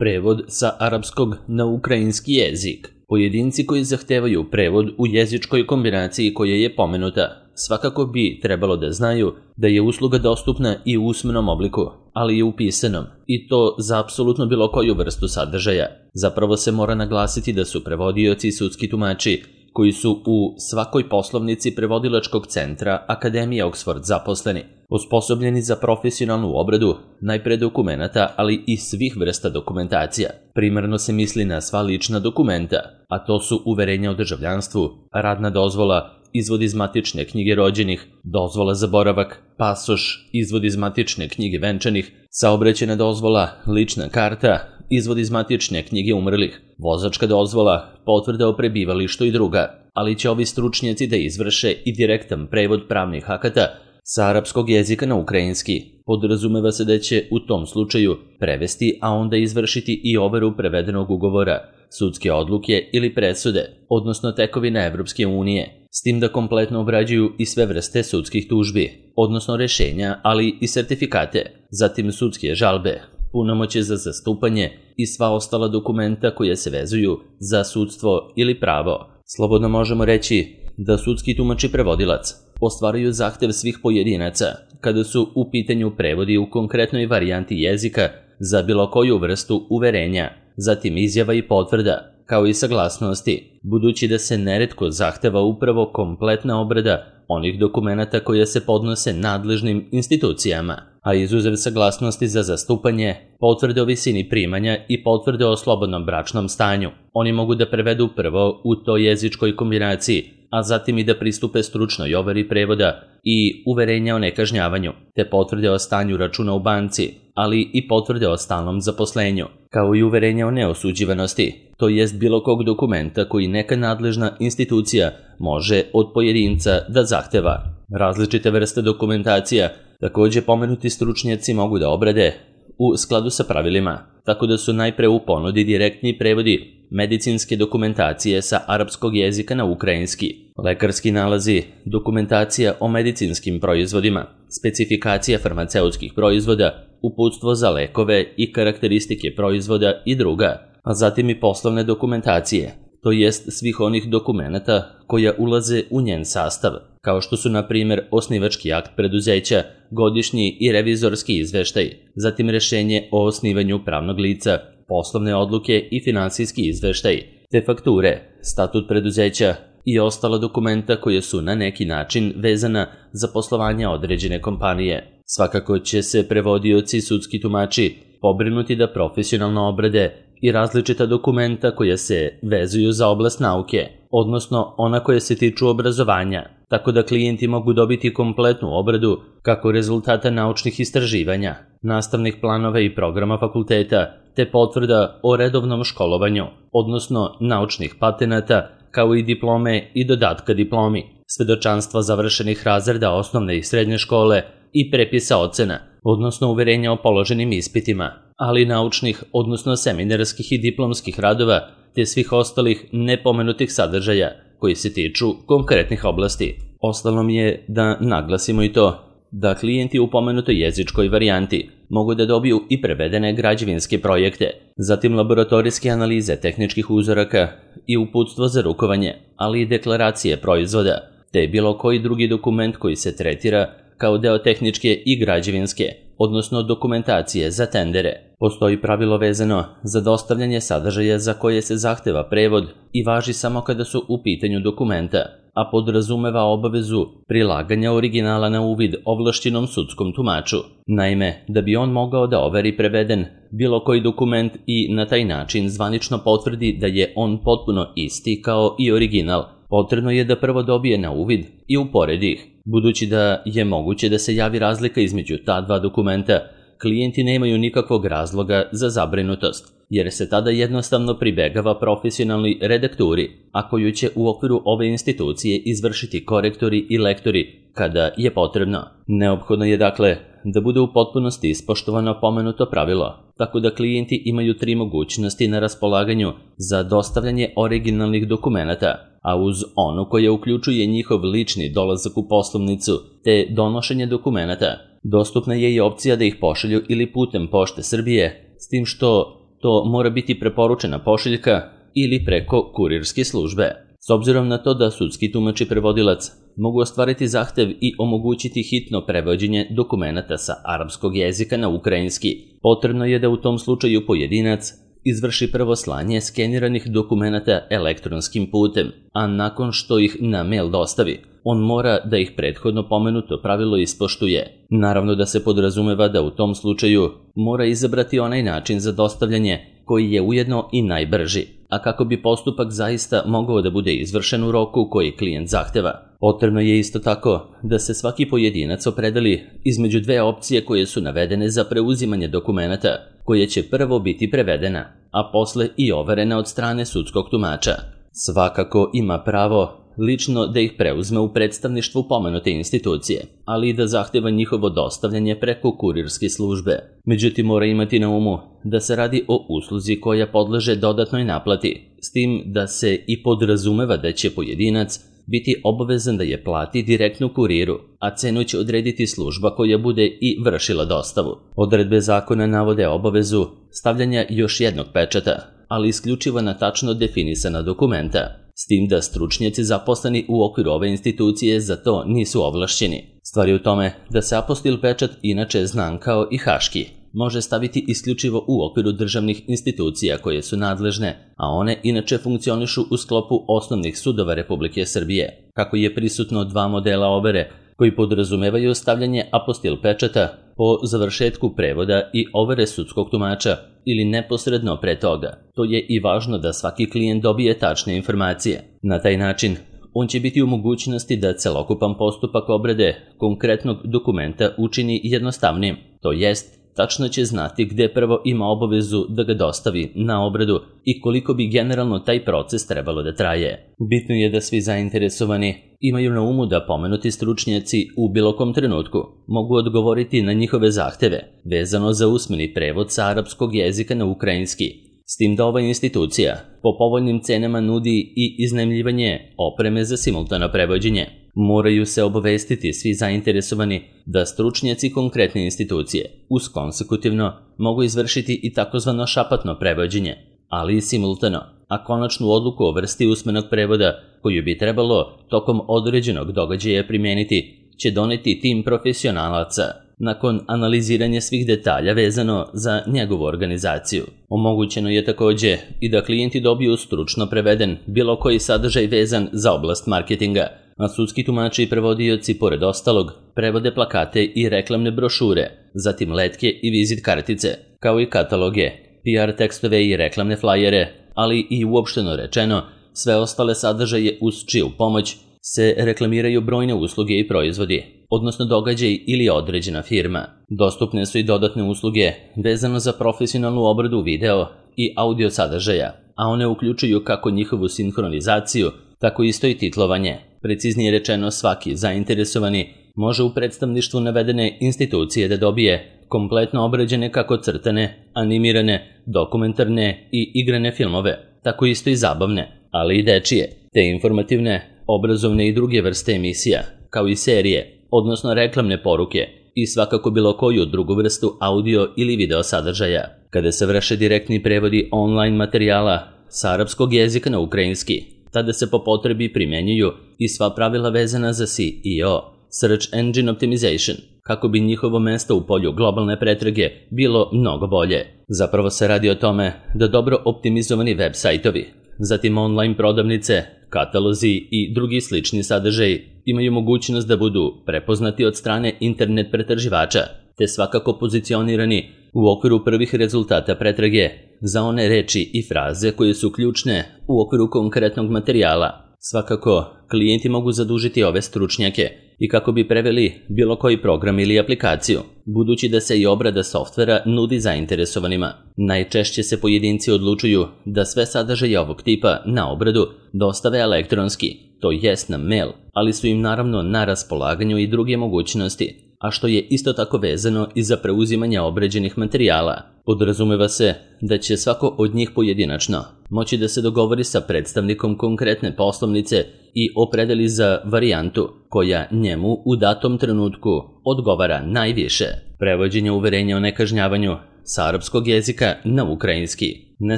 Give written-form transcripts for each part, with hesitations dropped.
Prevod sa arapskog na ukrajinski jezik. Pojedinci koji zahtevaju prevod u jezičkoj kombinaciji koja je pomenuta, svakako bi trebalo da znaju da je usluga dostupna i u usmenom obliku, ali i u pisanom, i to za apsolutno bilo koju vrstu sadržaja. Zapravo se mora naglasiti da su prevodioci i sudski tumači, koji su u svakoj poslovnici prevodilačkog centra Akademije Oxford zaposleni, osposobljeni za profesionalnu obradu najpre dokumenata, ali i svih vrsta dokumentacija. Primarno se misli na sva lična dokumenta, a to su uverenja o državljanstvu, radna dozvola, izvod iz matične knjige rođenih, dozvola za boravak, pasoš, izvod iz matične knjige venčanih, saobraćajna dozvola, lična karta, izvod iz matične knjige umrlih, vozačka dozvola, potvrda o prebivalištu i druga, ali će ovi stručnjaci da izvrše i direktan prevod pravnih akata sa arapskog jezika na ukrajinski. Podrazumeva se da će u tom slučaju prevesti, a onda izvršiti i overu prevedenog ugovora, sudske odluke ili presude, odnosno tekovine Evropske unije, s tim da kompletno obrađuju i sve vrste sudskih tužbi, odnosno rešenja, ali i sertifikate, zatim sudske žalbe, punomoćje za zastupanje i sva ostala dokumenta koje se vezuju za sudstvo ili pravo. Slobodno možemo reći da sudski tumač i prevodilac ostvaruju zahtev svih pojedinaca kada su u pitanju prevodi u konkretnoj varijanti jezika za bilo koju vrstu uverenja, zatim izjava i potvrda, kao i saglasnosti, budući da se neretko zahteva upravo kompletna obrada onih dokumenata koje se podnose nadležnim institucijama, a izuzev saglasnosti za zastupanje, potvrde o visini primanja i potvrde o slobodnom bračnom stanju. Oni mogu da prevedu prvo u toj jezičkoj kombinaciji, a zatim i da pristupe stručnoj overi prevoda i uverenja o nekažnjavanju, te potvrde o stanju računa u banci, ali i potvrde o stalnom zaposlenju, kao i uverenja o neosuđivanosti, to jest bilo kog dokumenta koji neka nadležna institucija može od pojedinca da zahteva. Različite vrste dokumentacija takođe pomenuti stručnjaci mogu da obrade u skladu sa pravilima, tako da su najpre u ponudi direktni prevodi medicinske dokumentacije sa arapskog jezika na ukrajinski, lekarski nalazi, dokumentacija o medicinskim proizvodima, specifikacija farmaceutskih proizvoda, uputstvo za lekove i karakteristike proizvoda i druga, a zatim i poslovne dokumentacije, to jest svih onih dokumenata koja ulaze u njen sastav, kao što su na primjer osnivački akt preduzeća, godišnji i revizorski izveštaj, zatim rešenje o osnivanju pravnog lica, poslovne odluke i finansijski izveštaj, te fakture, statut preduzeća i ostala dokumenta koje su na neki način vezana za poslovanje određene kompanije. Svakako će se prevodioci i sudski tumači pobrinuti da profesionalno obrade i različita dokumenta koja se vezuju za oblast nauke, odnosno ona koja se tiču obrazovanja, tako da klijenti mogu dobiti kompletnu obradu kako rezultata naučnih istraživanja, nastavnih planova i programa fakulteta, te potvrda o redovnom školovanju, odnosno naučnih patenata, kao i diplome i dodatka diplomi, svedočanstva završenih razreda osnovne i srednje škole i prepisa ocena, odnosno uverenja o položenim ispitima, ali naučnih, odnosno seminarskih i diplomskih radova, te svih ostalih nepomenutih sadržaja koji se tiču konkretnih oblasti. Ostalo mi je da naglasimo i to da klijenti u pomenutoj jezičkoj varijanti mogu da dobiju i prevedene građevinske projekte, zatim laboratorijske analize tehničkih uzoraka i uputstvo za rukovanje, ali i deklaracije proizvoda, te bilo koji drugi dokument koji se tretira kao deo tehničke i građevinske, odnosno dokumentacije za tendere. Postoji pravilo vezano za dostavljanje sadržaja za koje se zahteva prevod i važi samo kada su u pitanju dokumenta, a podrazumeva obavezu prilaganja originala na uvid ovlašćenom sudskom tumaču. Naime, da bi on mogao da overi preveden bilo koji dokument i na taj način zvanično potvrdi da je on potpuno isti kao i original, potrebno je da prvo dobije na uvid i uporedi ih. Budući da je moguće da se javi razlika između ta dva dokumenta, klijenti nemaju nikakvog razloga za zabrinutost, jer se tada jednostavno pribegava profesionalnoj redakturi, a koju će u okviru ove institucije izvršiti korektori i lektori kada je potrebno. Neophodno je dakle da bude u potpunosti ispoštovano pomenuto pravilo, tako da klijenti imaju 3 mogućnosti na raspolaganju za dostavljanje originalnih dokumenata, a uz onu koja uključuje njihov lični dolazak u poslovnicu te donošenje dokumenata, dostupna je i opcija da ih pošalju ili putem Pošte Srbije, s tim što to mora biti preporučena pošiljka ili preko kurirske službe. S obzirom na to da sudski tumač i prevodilac mogu ostvariti zahtev i omogućiti hitno prevođenje dokumenata sa arapskog jezika na ukrajinski, potrebno je da u tom slučaju pojedinac izvrši prvo slanje skeniranih dokumenata elektronskim putem, a nakon što ih na mail dostavi, on mora da ih prethodno pomenuto pravilo ispoštuje. Naravno da se podrazumeva da u tom slučaju mora izabrati onaj način za dostavljanje koji je ujedno i najbrži, a kako bi postupak zaista mogao da bude izvršen u roku koji klijent zahteva. Potrebno je isto tako da se svaki pojedinac opredeli između dve opcije koje su navedene za preuzimanje dokumenata, koje će prvo biti prevedena, a posle i overena od strane sudskog tumača. Svakako ima pravo lično da ih preuzme u predstavništvu pomenute institucije, ali i da zahteva njihovo dostavljanje preko kurirske službe. Međutim, mora imati na umu da se radi o usluzi koja podleže dodatnoj naplati, s tim da se i podrazumeva da će pojedinac biti obavezan da je plati direktno kuriru, a cenu će odrediti služba koja bude i vršila dostavu. Odredbe zakona navode obavezu stavljanja još jednog pečata, ali isključivo na tačno definisana dokumenta, s tim da stručnjaci zaposleni u okviru ove institucije za to nisu ovlašćeni. Stvar je u tome da se apostil pečat, inače znan kao i haški, može staviti isključivo u okviru državnih institucija koje su nadležne, a one inače funkcionišu u sklopu osnovnih sudova Republike Srbije. Kako je prisutno dva modela overe koji podrazumevaju stavljanje apostil pečata po završetku prevoda i overe sudskog tumača ili neposredno pre toga, to je i važno da svaki klijent dobije tačne informacije. Na taj način, on će biti u mogućnosti da celokupan postupak obrade konkretnog dokumenta učini jednostavnim, to jest tačno će znati gde prvo ima obavezu da ga dostavi na obradu i koliko bi generalno taj proces trebalo da traje. Bitno je da svi zainteresovani imaju na umu da pomenuti stručnjaci u bilo kom trenutku mogu odgovoriti na njihove zahteve vezano za usmeni prevod sa arapskog jezika na ukrajinski, s tim da ova institucija po povoljnim cenama nudi i iznajmljivanje opreme za simultano prevođenje. Moraju se obavestiti svi zainteresovani da stručnjaci konkretne institucije uz konsekutivno mogu izvršiti i takozvano šapatno prevođenje, ali i simultano, a konačnu odluku o vrsti usmenog prevoda koju bi trebalo tokom određenog događaja primijeniti će doneti tim profesionalaca nakon analiziranja svih detalja vezano za njegovu organizaciju. Omogućeno je takođe i da klijenti dobiju stručno preveden bilo koji sadržaj vezan za oblast marketinga, a sudski tumači i prevodioci, pored ostalog, prevode plakate i reklamne brošure, zatim letke i vizit kartice, kao i kataloge, PR tekstove i reklamne flajere, ali i uopšteno rečeno, sve ostale sadržaje uz čiju pomoć se reklamiraju brojne usluge i proizvodi, odnosno događaj ili određena firma. Dostupne su i dodatne usluge vezano za profesionalnu obradu video i audio sadržaja, a one uključuju kako njihovu sinhronizaciju, tako isto i titlovanje. Preciznije rečeno, svaki zainteresovani može u predstavništvu navedene institucije da dobije kompletno obrađene kako crtane, animirane, dokumentarne i igrane filmove, tako isto i zabavne, ali i dečije, te informativne, obrazovne i druge vrste emisija, kao i serije, odnosno reklamne poruke i svakako bilo koju drugu vrstu audio ili video sadržaja. Kada se vrše direktni prevodi online materijala sa arapskog jezika na ukrajinski, tada se po potrebi primenjuju i sva pravila vezana za SEO, Search Engine Optimization, kako bi njihovo mesto u polju globalne pretrage bilo mnogo bolje. Zapravo se radi o tome da dobro optimizovani web sajtovi, zatim online prodavnice, katalozi i drugi slični sadržaji imaju mogućnost da budu prepoznati od strane internet pretraživača, te svakako pozicionirani u okviru prvih rezultata pretrage za one reči i fraze koje su ključne u okviru konkretnog materijala. Svakako, klijenti mogu zadužiti ove stručnjake i kako bi preveli bilo koji program ili aplikaciju, budući da se i obrada softvera nudi zainteresovanima. Najčešće se pojedinci odlučuju da sve sadržaje ovog tipa na obradu dostave elektronski, to jest na mail, ali su im naravno na raspolaganju i druge mogućnosti, a što je isto tako vezano i za preuzimanje obrađenih materijala. Podrazumeva se da će svako od njih pojedinačno moći da se dogovori sa predstavnikom konkretne poslovnice i opredeli za varijantu koja njemu u datom trenutku odgovara najviše. Prevođenje uverenja o nekažnjavanju sa arapskog jezika na ukrajinski. Ne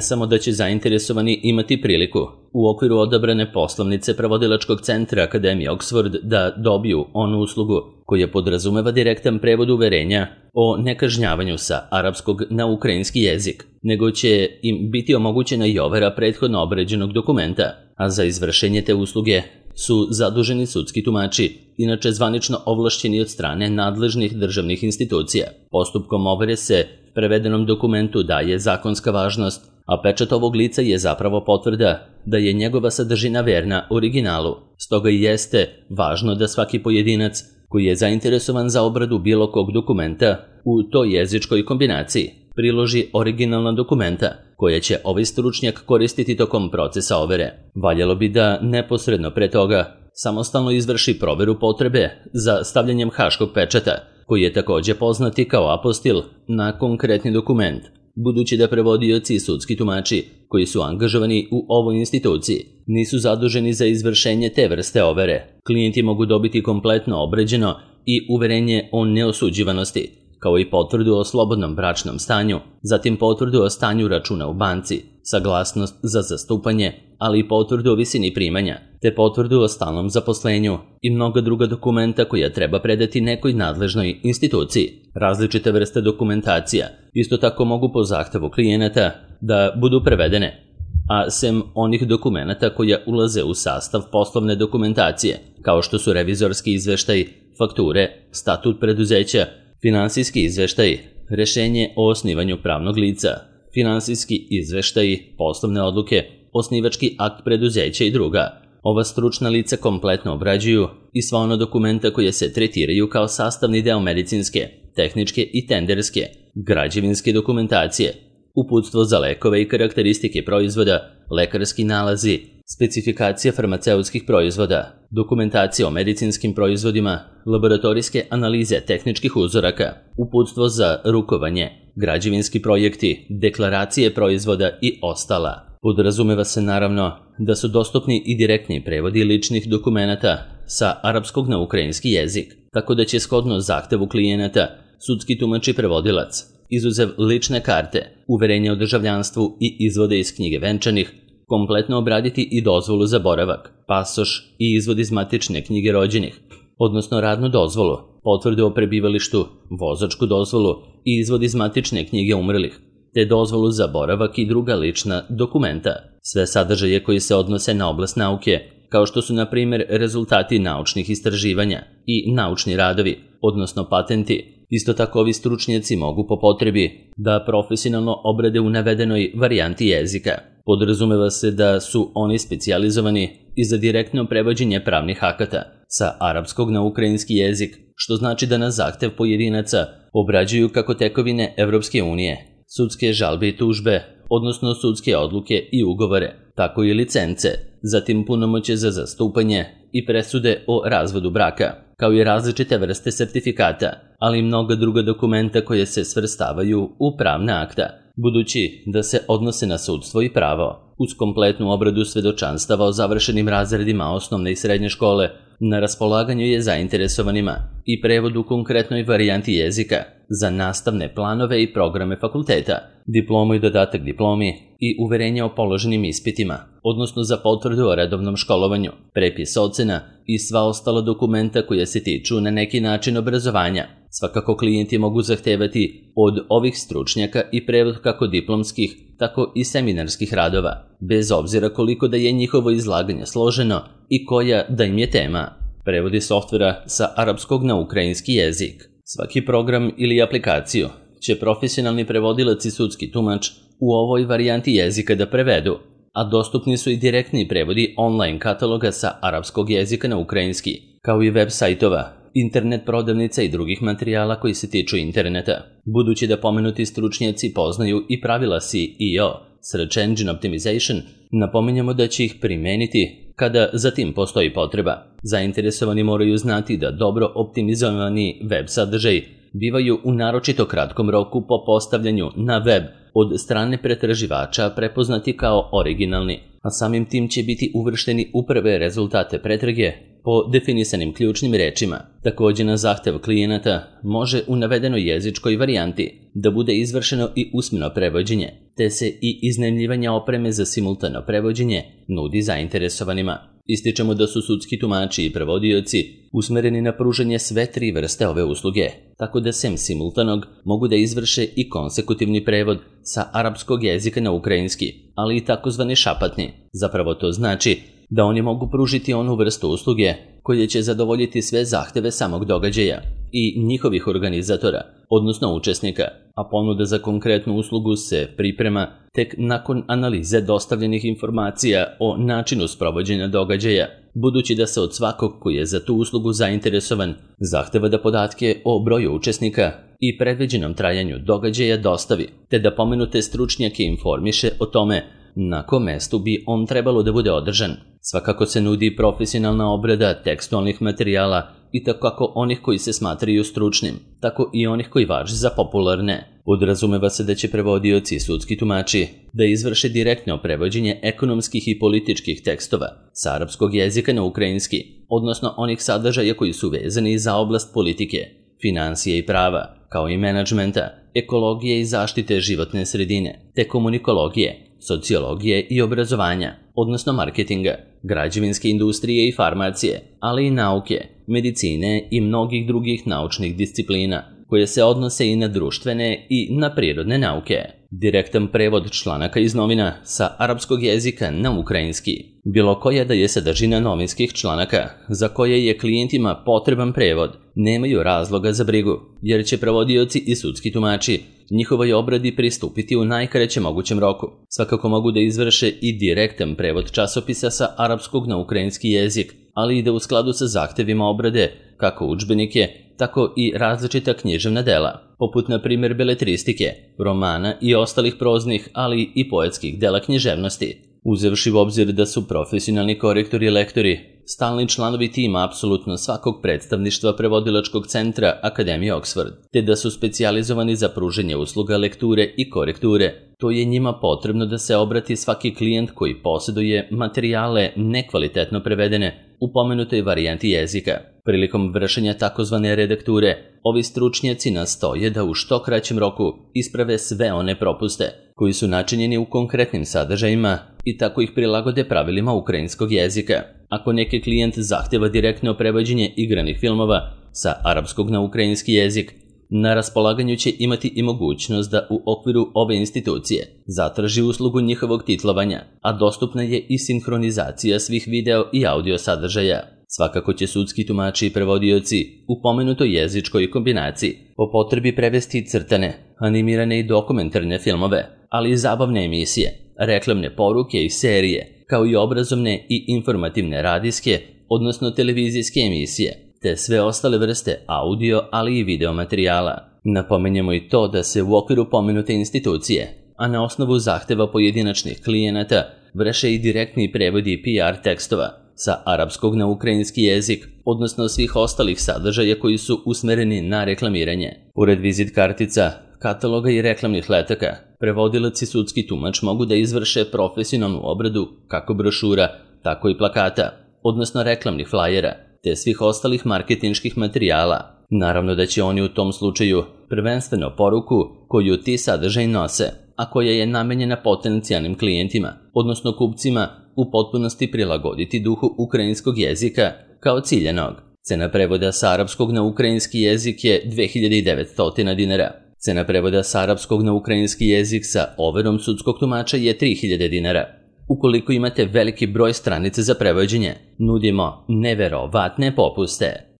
samo da će zainteresovani imati priliku u okviru odabrane poslovnice prevodilačkog centra Akademije Oxford da dobiju onu uslugu koja podrazumeva direktan prevod uverenja o nekažnjavanju sa arapskog na ukrajinski jezik, nego će im biti omogućena i overa prethodno obređenog dokumenta, a za izvršenje te usluge su zaduženi sudski tumači, inače zvanično ovlašćeni od strane nadležnih državnih institucija. Postupkom overe se prevedenom dokumentu daje zakonska važnost, a pečat ovog lica je zapravo potvrda da je njegova sadržina verna originalu. Stoga i jeste važno da svaki pojedinac koji je zainteresovan za obradu bilo kog dokumenta u toj jezičkoj kombinaciji priloži originalna dokumenta koje će ovaj stručnjak koristiti tokom procesa overe. Valjalo bi da neposredno pre toga samostalno izvrši proveru potrebe za stavljanjem haškog pečata, koji je takođe poznati kao apostil na konkretni dokument, budući da prevodioci i sudski tumači koji su angažovani u ovoj instituciji nisu zaduženi za izvršenje te vrste overe. Klijenti mogu dobiti kompletno obređeno i uverenje o neosuđivanosti, kao i potvrdu o slobodnom bračnom stanju, zatim potvrdu o stanju računa u banci, saglasnost za zastupanje, ali i potvrdu o visini primanja, te potvrdu o stalnom zaposlenju i mnoga druga dokumenta koja treba predati nekoj nadležnoj instituciji. Različite vrste dokumentacija isto tako mogu po zahtevu klijenata da budu prevedene, a sem onih dokumenata koja ulaze u sastav poslovne dokumentacije, kao što su revizorski izveštaj, fakture, statut preduzeća, finansijski izveštaj, rešenje o osnivanju pravnog lica, finansijski izveštaj, poslovne odluke, osnivački akt preduzeća i druga. Ova stručna lica kompletno obrađuju i sva ona dokumenta koje se tretiraju kao sastavni deo medicinske, tehničke i tenderske, građevinske dokumentacije, uputstvo za lekove i karakteristike proizvoda, lekarski nalazi, specifikacija farmaceutskih proizvoda, dokumentacija o medicinskim proizvodima, laboratorijske analize tehničkih uzoraka, uputstvo za rukovanje, građevinski projekti, deklaracije proizvoda i ostala. Podrazumeva se naravno da su dostupni i direktni prevodi ličnih dokumenata sa arapskog na ukrajinski jezik, tako da će shodno zahtevu klijenata sudski tumač i prevodilac, izuzev lične karte, uverenja o državljanstvu i izvode iz knjige venčanih, kompletno obraditi i dozvolu za boravak, pasoš i izvod iz matične knjige rođenih, odnosno radnu dozvolu, potvrdu o prebivalištu, vozačku dozvolu i izvod iz matične knjige umrlih, te dozvolu za boravak i druga lična dokumenta. Sve sadržaje koji se odnose na oblast nauke, kao što su na primjer rezultati naučnih istraživanja i naučni radovi, odnosno patenti. Isto tako ovi stručnjaci mogu po potrebi da profesionalno obrade u navedenoj varijanti jezika. Podrazumeva se da su oni specijalizovani i za direktno prevođenje pravnih akata sa arapskog na ukrajinski jezik, što znači da na zahtev pojedinaca obrađuju kako tekovine Evropske unije, sudske žalbe i tužbe, odnosno sudske odluke i ugovore, tako i licence, zatim punomoćje za zastupanje i presude o razvodu braka, kao i različite vrste sertifikata, ali i mnoga druga dokumenta koje se svrstavaju u pravna akta, budući da se odnose na sudstvo i pravo. Uz kompletnu obradu svedočanstava o završenim razredima osnovne i srednje škole, na raspolaganju je zainteresovanima i prevod u konkretnoj varijanti jezika za nastavne planove i programe fakulteta, diplomu i dodatak diplomi i uverenje o položenim ispitima, odnosno za potvrdu o redovnom školovanju, prepis ocena i sva ostala dokumenta koja se tiču na neki način obrazovanja. Svakako klijenti mogu zahtevati od ovih stručnjaka i prevod kako diplomskih, tako i seminarskih radova, bez obzira koliko da je njihovo izlaganje složeno i koja da im je tema. Prevodi softvera sa arapskog na ukrajinski jezik. Svaki program ili aplikaciju će profesionalni prevodilac i sudski tumač u ovoj varijanti jezika da prevedu, a dostupni su i direktni prevodi online kataloga sa arapskog jezika na ukrajinski, kao i web sajtova, internet prodavnica i drugih materijala koji se tiču interneta. Budući da pomenuti stručnjaci poznaju i pravila SEO, Search Engine Optimization, napominjamo da će ih primeniti kada za tim postoji potreba. Zainteresovani moraju znati da dobro optimizovani web sadržaj bivaju u naročito kratkom roku po postavljanju na web od strane pretraživača prepoznati kao originalni, a samim tim će biti uvršteni u prve rezultate pretrage po definisanim ključnim rečima. Također na zahtev klijenata može u navedenoj jezičkoj varijanti da bude izvršeno i usmeno prevođenje, te se i iznajmljivanje opreme za simultano prevođenje nudi zainteresovanima. Ističemo da su sudski tumači i prevodioci usmereni na pružanje sve 3 vrste ove usluge, tako da sem simultanog mogu da izvrše i konsekutivni prevod sa arapskog jezika na ukrajinski, ali i takozvani šapatni. Zapravo to znači da oni mogu pružiti onu vrstu usluge koje će zadovoljiti sve zahteve samog događaja i njihovih organizatora, odnosno učesnika, a ponuda za konkretnu uslugu se priprema tek nakon analize dostavljenih informacija o načinu sprovođenja događaja, budući da se od svakog koji je za tu uslugu zainteresovan zahteva da podatke o broju učesnika i predviđenom trajanju događaja dostavi, te da pomenute stručnjake informiše o tome na kom mestu bi on trebalo da bude održan. Svakako se nudi profesionalna obrada tekstualnih materijala i tako kako onih koji se smatraju stručnim, tako i onih koji važe za popularne. Podrazumeva se da će prevodioci i sudski tumači da izvrše direktno prevođenje ekonomskih i političkih tekstova sa arapskog jezika na ukrajinski, odnosno onih sadržaja koji su vezani za oblast politike, finansije i prava, kao i menadžmenta, ekologije i zaštite životne sredine, te komunikologije, sociologije i obrazovanja, odnosno marketinga, građevinske industrije i farmacije, ali i nauke, medicine i mnogih drugih naučnih disciplina, koje se odnose i na društvene i na prirodne nauke. Direktan prevod članaka iz novina sa arapskog jezika na ukrajinski. Bilo koja da je sadržina novinskih članaka za koje je klijentima potreban prevod, nemaju razloga za brigu, jer će prevodioci i sudski tumači njihovoj obradi pristupiti u najkraćem mogućem roku. Svakako mogu da izvrše i direktan prevod časopisa sa arapskog na ukrajinski jezik, ali i da u skladu sa zahtevima obrade kako udžbenike, tako i različita književna dela, poput na primjer beletristike, romana i ostalih proznih, ali i poetskih dela književnosti. Uzevši u obzir da su profesionalni korektori i lektori stalni članovi tima apsolutno svakog predstavništva prevodilačkog centra Akademije Oxford, te da su specijalizovani za pružanje usluga lekture i korekture, to je njima potrebno da se obrati svaki klijent koji posjeduje materijale nekvalitetno prevedene u pomenutoj varijanti jezika. Prilikom vršenja takozvane redakture, ovi stručnjaci nastoje da u što kraćem roku isprave sve one propuste koji su načinjeni u konkretnim sadržajima i tako ih prilagode pravilima ukrajinskog jezika. Ako neki klijent zahtjeva direktno prevođenje igranih filmova sa arapskog na ukrajinski jezik, na raspolaganju će imati i mogućnost da u okviru ove institucije zatraži uslugu njihovog titlovanja, a dostupna je i sinhronizacija svih video i audio sadržaja. Svakako će sudski tumači i prevodioci u pomenutoj jezičkoj kombinaciji po potrebi prevesti crtane, animirane i dokumentarne filmove, ali i zabavne emisije, reklamne poruke i serije, kao i obrazovne i informativne radijske, odnosno televizijske emisije, te sve ostale vrste audio, ali i video materijala. Napomenjemo i to da se u okviru pomenute institucije, a na osnovu zahteva pojedinačnih klijenata, vrše i direktni prevodi PR tekstova sa arapskog na ukrajinski jezik, odnosno svih ostalih sadržaja koji su usmereni na reklamiranje. Pored vizit kartica, kataloga i reklamnih letaka, prevodilac i sudski tumač mogu da izvrše profesionalnu obradu kako brošura, tako i plakata, odnosno reklamnih flajera, te svih ostalih marketinških materijala. Naravno da će oni u tom slučaju prvenstveno poruku koju ti sadržaj nose, a koja je namenjena potencijalnim klijentima, odnosno kupcima, u potpunosti prilagoditi duhu ukrajinskog jezika kao ciljanog. Cena prevoda sa arapskog na ukrajinski jezik je 2900 dinara. Cena prevoda sa arapskog na ukrajinski jezik sa overom sudskog tumača je 3000 dinara. Ukoliko imate veliki broj stranica za prevođenje, nudimo neverovatne popuste.